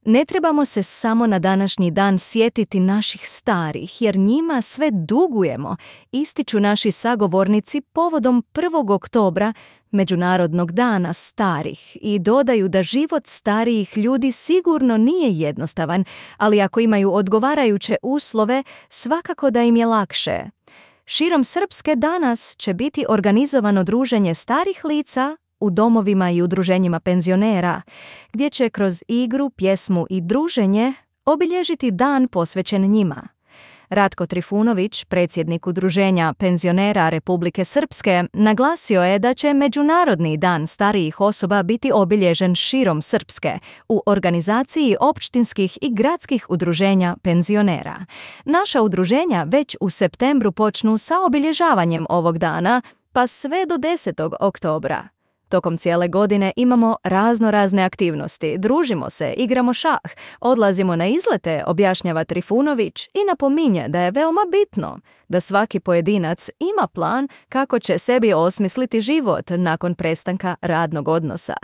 Ne trebamo se samo na današnji dan sjetiti naših starih, jer njima sve dugujemo, ističu naši sagovornici povodom 1. oktobra, Međunarodnog dana starih, i dodaju da život starijih ljudi sigurno nije jednostavan, ali ako imaju odgovarajuće uslove, svakako da im je lakše. Širom Srpske danas će biti organizovano druženje starih lica u domovima i udruženjima penzionera, gdje će kroz igru, pjesmu i druženje obilježiti dan posvećen njima. Ratko Trifunović, predsjednik Udruženja penzionera Republike Srpske, naglasio je da će Međunarodni dan starijih osoba biti obilježen širom Srpske u organizaciji općinskih i gradskih udruženja penzionera. Naša udruženja već u septembru počnu sa obilježavanjem ovog dana, pa sve do 10. oktobra. Tokom cijele godine imamo razne aktivnosti, družimo se, igramo šah, odlazimo na izlete, objašnjava Trifunović i napominje da je veoma bitno da svaki pojedinac ima plan kako će sebi osmisliti život nakon prestanka radnog odnosa.